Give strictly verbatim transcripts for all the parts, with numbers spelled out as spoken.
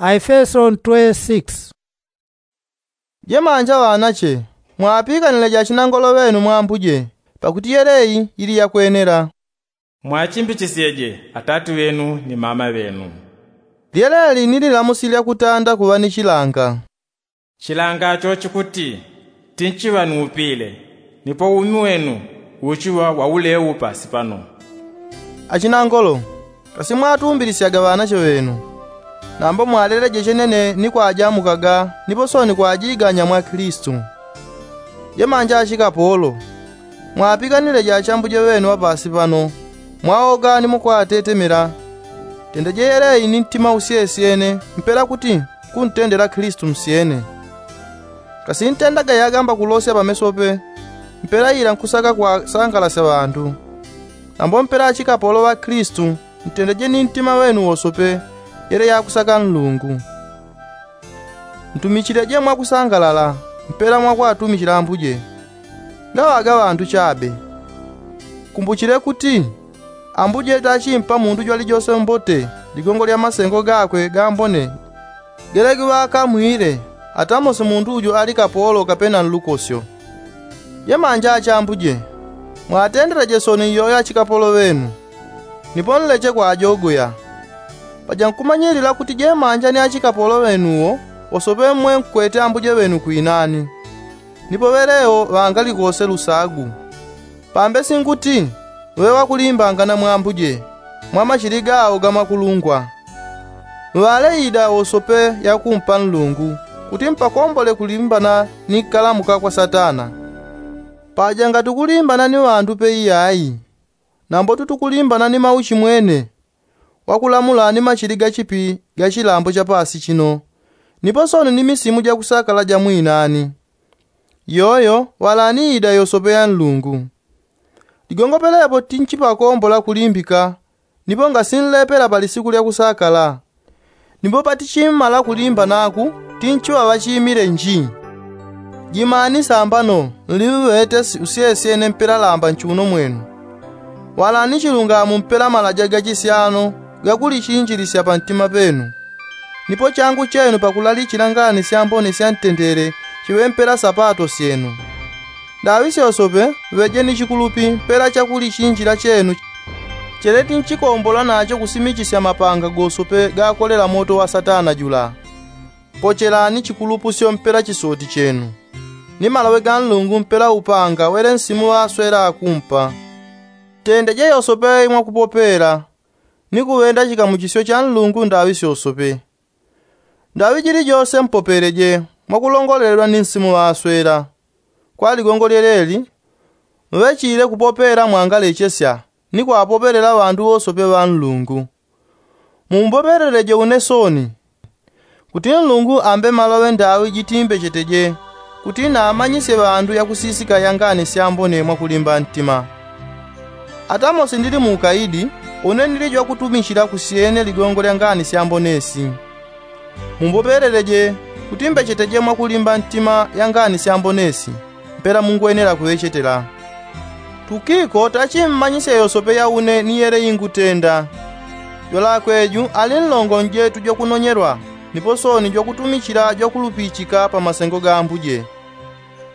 Aefeso twe six. Jemanja ŵanache, mwapikanileje achinangolo ŵenu mwa ambuje, pakuti yeleyi yili yakwenela. Mwachimbichisyeje atati ŵenu ni mama ŵenu. Lyeleli ni lilamusi lyakutanda kuŵa ni chilanga. Chilanga cho chikuti tinchiŵa ni upile, nipo umi wenu uchiŵa wa ulewu pasi pano. Achinangolo, kasi mwatumbilisyaga ŵanache ŵenu, nambo mwaleleje chenene ni kwajamukaga nipo soni kwajiganya mwa kilisitu. Jemanja achikapolo, mwapikanileje achambuje ŵenu ŵa pasi pano, mwaoga ni mukwatetemela. Tendeje yeleyi ni ntima usyesyene mpela kuti kuntendela kilisitu nsyene. Kasi ntendaga yagamba kulosya pameso pe, mpela ila nkusaka kwasangalasya ŵandu. Nambo mpela achikapolo ŵa kilisitu, ntendeje ni ntima ŵenu wosope yele yakusaka nlungu. Ntumichileje mwakusangalala, mpela mwakwatumichila ambuje, ngaŵaga ŵandu chabe. Kumbuchile kuti ambuje tachimpa mundu jwalijose mbote ligongo lya masengo gakwe gambone, gelegiŵa akamwile atamosi mundu ujo ali kapolo kapena nlukosyo. Jemanja achambuje, mwatendeleje soni iyoyo achikapolo ŵenu, nipo nleche kwajogoya. Paja nkumanyilila kuti jemanja ni achikapolo ŵenuwo wosope mwe nkwete ambuje ŵenu kwinani, nipo ŵelewo ŵangalikose lusagu. Pambe singuti ŵe ŵakulimbangana mwa ambuje mwa machili gawo gamakulungwa. Ŵaleida wosope yakumpa nlungu, kuti mpakombole kulimbana ni kalamuka kwa satana. Paja ngatukulimbana ni ŵandu pe iyayi, nambo tutukulimbana ni mauchi mwene wakulamula ni machili gachipi ga chilambo cha pasi chino, nipo soni ni misimu jakusakala ja mwinani. Yoyo ŵalaniida yosope ya nlungu. Ligongo pelepo tinchipakombola kulimbika, nipo ngasinlepela pa lisiku lya kusakala. Nipo patichimmala kulimba naku, tinchiŵa ŵachimile nji. Jimani sambano nliŵeŵete usyesyene mpela lamba nchuno mwenu. Walani chilungamo mpela malaja gachisyano gakulichinjilisya pantima penu. Nipo changu chenu pakulalichila ngani syambone sya ntendele chiŵe mpela sapato syenu. Ndaŵi syosope ŵejeni chikulupi mpela chakulichinjila chenu, cheleti nchikombola nacho kusimichisya mapanga gosope gakolela moto wa satana jula. Pochelani chikulupusyo mpela chisoti chenu, ni malaŵe ga nlungu mpela upanga wele nsimu ŵaswela akumpa. Tendeje yosope imwakupopela, ni kuŵenda chikamuchisyo cha nlungu ndaŵi syosope. Ndaŵi jilijose mpopeleje mwakulongolelwa ni nsimu ŵaswela. Kwa ligongo lyeleli, muŵechile kupopela mwangalechesya ni kwapopelela ŵandu wosope ŵa nlungu. Mumbopeleleje une soni, kuti nlungu ambe malaŵe ndaŵi jitimbecheteje, kuti namanyisye ŵandu yakusisika ya ngani syambone mwakulimba ntima. Atamosi ndili muukaidi, une ndili jwakutumichila kusyene ligongo lya ngani syambone si. Mumbopeleleje, kuti mbecheteje mwakulimba ntima ya ngani syambone si, mpela mungwenela kuŵechetela. Tukiko tachimmanyisye yosope ya une ni yele ingutenda. Jwalakwe ju ali nlongo njetu jwakunonyelwa, nipo soni jwakutumichila jwakulupichika pa masengo ga ambuje.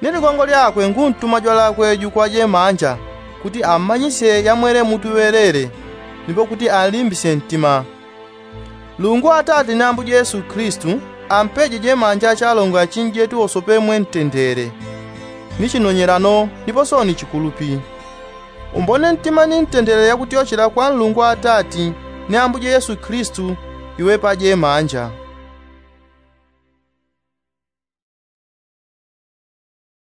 Ni ligongo lyakwe nguntuma jwalakwe ju kwa jemanja, kuti ammanyisye yamwele mutu ŵelele, nipo kuti anlimbisye ntima. Nlungu Atate ni Ambuje Yesu Kilisitu ampeje jemanja achalongo achinjetu wosope mwe ntendele, ni chinonyelano nipo soni chikulupi. Umbone ntima ni ntendele yakutyochela kwa Nlungu Atate ni Ambuje Yesu Kilisitu iwe pa jemanja.